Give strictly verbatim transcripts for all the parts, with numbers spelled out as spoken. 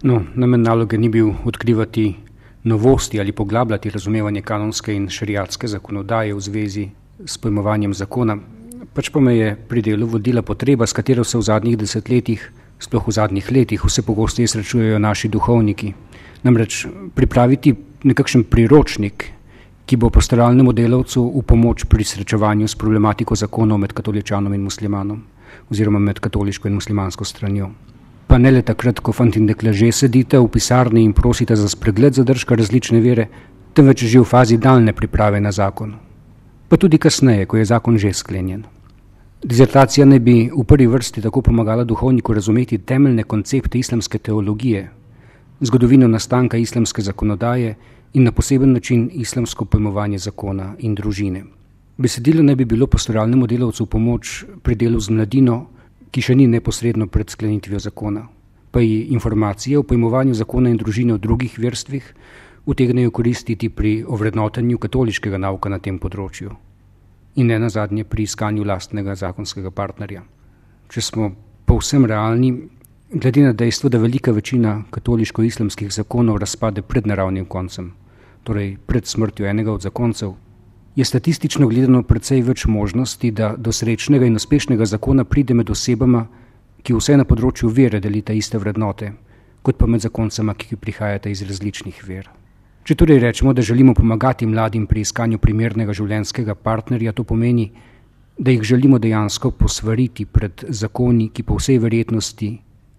No, namen naloge ni bil odkrivati novosti ali poglabljati razumevanje kanonske in šeriatske zakonodaje v zvezi s pojmovanjem zakona, pač pa me je pri delu vodila potreba, s katero se v zadnjih desetletjih, sploh v zadnjih letih, vse pogosteje srečujejo naši duhovniki. Namreč pripraviti nekakšen priročnik, ki bo pastoralnemu delavcu v pomoč pri srečevanju s problematiko zakonov med katoličanom in muslimanom oziroma med katoliško in muslimansko stranjo. Pa ne le takrat, ko fant in dekle že sedite v pisarni in prosite za spregled zadržka različne vere, temveč že v fazi daljne priprave na zakon. Pa tudi kasneje, ko je zakon že sklenjen. Dizertacija ne bi v prvi vrsti tako pomagala duhovniku razumeti temeljne koncepte islamske teologije, zgodovino nastanka islamske zakonodaje in na poseben način islamsko pojmovanje zakona in družine. Besedilo ne bi bilo pastoralnemu delavcu v pomoč pri delu z mladino, ki še ni neposredno pred sklenitvijo zakona, pa ji informacije o pojmovanju zakona in družine v drugih verstvih utegnejo koristiti pri ovrednotenju katoliškega nauka na tem področju in ne nazadnje pri iskanju lastnega zakonskega partnerja. Če smo povsem realni, glede na dejstvo, da velika večina katoliško-islamskih zakonov razpade pred naravnim koncem, torej pred smrtjo enega od zakoncev, je statistično gledano precej več možnosti, da do srečnega in uspešnega zakona pride med osebama, ki vse na področju vere delita iste vrednote, kot pa med zakoncema, ki prihajata iz različnih ver. Če torej rečemo, da želimo pomagati mladim pri iskanju primernega življenjskega partnerja, to pomeni, da jih želimo dejansko posvariti pred zakoni, ki po vsej verjetnosti,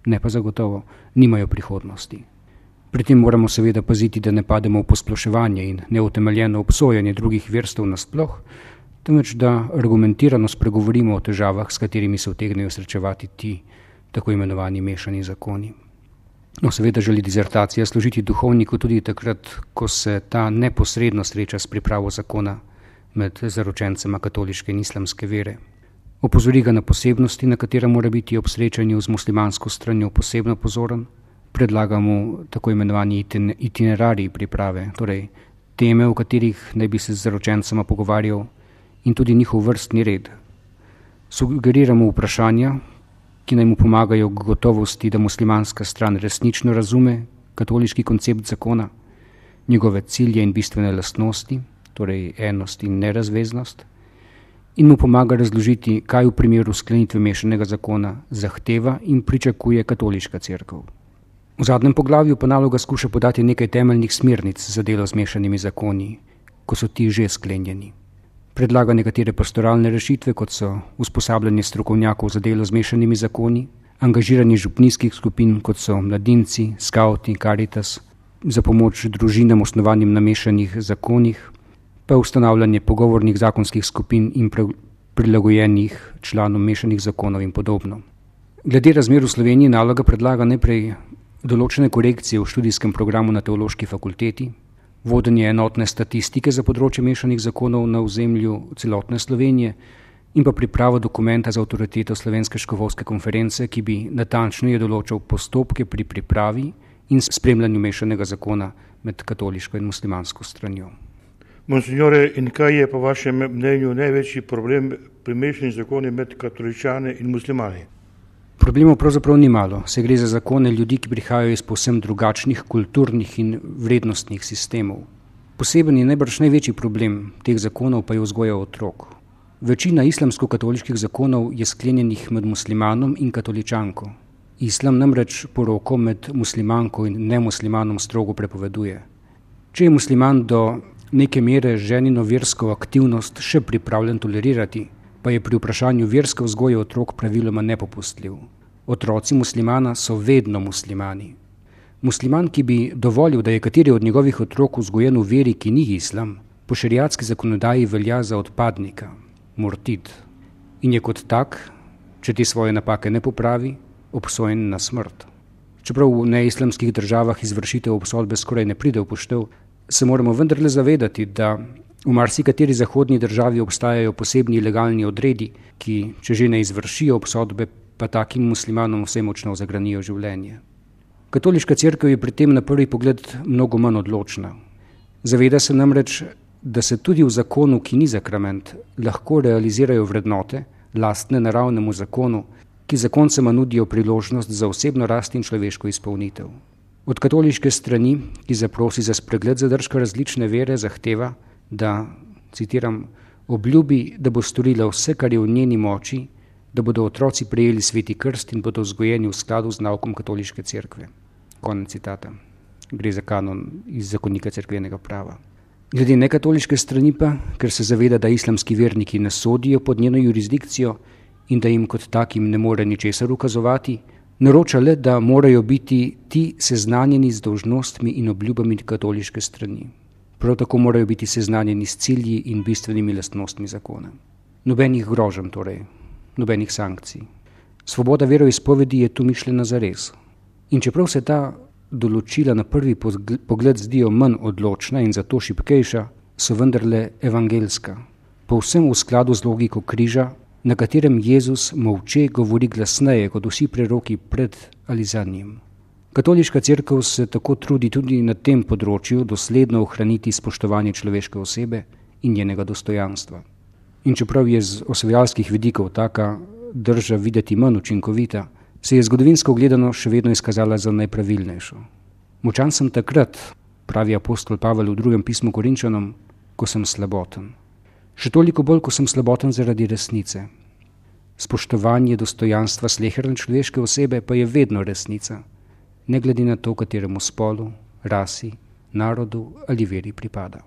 ne pa zagotovo, nimajo prihodnosti. Pri tem moramo seveda paziti, da ne pademo v posploševanje in neutemeljeno obsojanje drugih verstev nasploh, temveč da argumentirano spregovorimo o težavah, s katerimi se utegnejo srečevati ti tako imenovani mešani zakoni. No, seveda želi dizertacija služiti duhovniku tudi takrat, ko se ta neposredno sreča s pripravo zakona med zaročencema katoliške in islamske vere. Opozori ga na posebnosti, na katera mora biti ob srečanju z muslimansko stranjo posebno pozoren, predlaga mu tako imenovani itinerarij priprave, torej teme, o katerih naj bi se z zaročencema pogovarjal, in tudi njihov vrstni red. Sugeriramo vprašanja, ki naj mu pomagajo k gotovosti, da muslimanska stran resnično razume katoliški koncept zakona, njegove cilje in bistvene lastnosti, torej enost in nerazveznost, in mu pomaga razložiti, kaj v primeru sklenitve mešanega zakona zahteva in pričakuje katoliška cerkev. V zadnjem poglavju pa naloga skuša podati nekaj temeljnih smernic za delo z mešanimi zakoni, ko so ti že sklenjeni. Predlaga nekatere pastoralne rešitve, kot so usposabljanje strokovnjakov za delo z mešanimi zakoni, angažiranje župnijskih skupin, kot so mladinci, skauti, Karitas, za pomoč družinam osnovanim na mešanih zakonih, pa ustanavljanje pogovornih zakonskih skupin in prilagojenih članom mešanih zakonov in podobno. Glede razmer v Sloveniji naloga predlaga najprej določene korekcije v študijskem programu na teološki fakulteti, vodenje enotne statistike za področje mešanih zakonov na ozemlju celotne Slovenije in pa pripravo dokumenta za avtoriteto Slovenske škofovske konference, ki bi natančneje določal postopke pri pripravi in spremljanju mešanega zakona med katoliško in muslimansko stranjo. Monsignore, in kaj je po vašem mnenju največji problem pri mešanih zakonih med katoličani in muslimani? Problemov pravzaprav ni malo, se gre za zakone ljudi, ki prihajajo iz povsem drugačnih kulturnih in vrednostnih sistemov. Poseben je najbrž največji problem teh zakonov pa je vzgoja otrok. Večina islamsko-katoliških zakonov je sklenjenih med muslimanom in katoličanko. Islam namreč poroko med muslimanko in nemuslimanom strogo prepoveduje. Če je musliman do neke mere ženino versko aktivnost še pripravljen tolerirati, pa je pri vprašanju verske vzgoje otrok praviloma nepopustljiv. Otroci muslimana so vedno muslimani. Musliman, ki bi dovolil, da je kateri od njegovih otrok vzgojen v veri, ki ni islam, po šeriatski zakonodaji velja za odpadnika, murtid, in je kot tak, če te svoje napake ne popravi, obsojen na smrt. Čeprav v neislamskih državah izvršitev obsodbe skoraj ne pride v poštev, se moramo vendarle zavedati, da v marsikateri zahodni državi obstajajo posebni legalni odredi, ki, če že ne izvršijo obsodbe, pa takim muslimanom vse močno zagranijo življenje. Katoliška cerkev je pri tem na prvi pogled mnogo manj odločna. Zaveda se namreč, da se tudi v zakonu, ki ni sakrament, lahko realizirajo vrednote, lastne naravnemu zakonu, ki zakoncema nudijo priložnost za osebno rast in človeško izpolnitev. Od katoliške strani, ki zaprosi za spregled zadržka različne vere, zahteva, da, citiram, obljubi, da bo storila vse, kar je v njeni moči, da bodo otroci prejeli sveti krst in bodo vzgojeni v skladu z naukom katoliške cerkve. Konec citata. Gre za kanon iz zakonika cerkvenega prava. Glede nekatoliške strani pa, ker se zaveda, da islamski verniki ne sodijo pod njeno jurisdikcijo in da jim kot takim ne more ničesar ukazovati, naroča le, da morajo biti ti seznanjeni z dolžnostmi in obljubami katoliške strani. Prav tako morajo biti seznanjeni s cilji in bistvenimi lastnostmi zakona. Nobenih groženj torej, nobenih sankcij. Svoboda veroizpovedi je tu mišljena zares. In čeprav se ta določila na prvi pogled zdijo manj odločna in zato šibkejša, so vendarle evangelska, povsem v skladu z logiko križa, na katerem Jezus molče govori glasneje kot vsi preroki pred ali za njim. Katoliška cerkev se tako trudi tudi na tem področju dosledno ohraniti spoštovanje človeške osebe in njenega dostojanstva. In čeprav je z osvajalskih vidikov taka drža videti manj učinkovita, se je zgodovinsko gledano še vedno izkazala za najpravilnejšo. Močan sem takrat, pravi apostol Pavel v drugem pismu Korinčanom, ko sem slaboten. Še toliko bolj, ko sem slaboten zaradi resnice. Spoštovanje dostojanstva sleherne človeške osebe pa je vedno resnica, ne glede na to, kateremu spolu, rasi, narodu ali veri pripada.